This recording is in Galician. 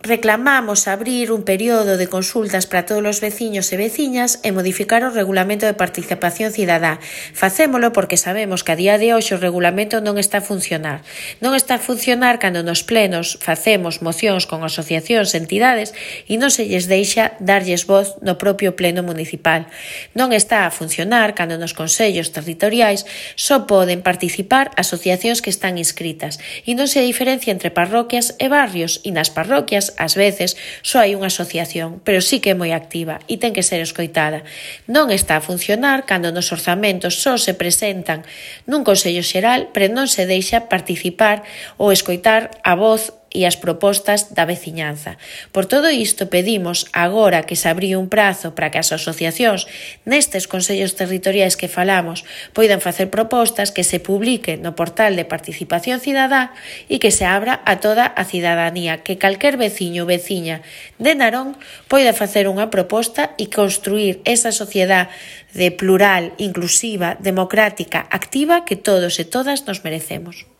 reclamamos abrir un período de consultas para todos os veciños e veciñas e modificar o regulamento de participación cidadá. Facémolo porque sabemos que a día de hoxe o regulamento non está a funcionar. Non está a funcionar cando nos plenos facemos mocións con asociacións e entidades e non se lles deixa darlles voz no propio pleno municipal. Non está a funcionar cando nos consellos territoriais só poden participar asociacións que están inscritas e non se diferencia entre parroquias e barrios e nas parroquias ás veces só hai unha asociación, pero sí que é moi activa e ten que ser escoitada. Non está a funcionar cando nos orzamentos só se presentan nun Consello Xeral, pero non se deixa participar ou escoitar a voz e as propostas da veciñanza. Por todo isto pedimos agora que se abriu un prazo para que as asociacións nestes consellos territoriais que falamos poidan facer propostas, que se publique no portal de participación cidadá e que se abra a toda a cidadanía, que calquer veciño ou veciña de Narón poida facer unha proposta e construir esa sociedade plural, inclusiva, democrática, activa que todos e todas nos merecemos.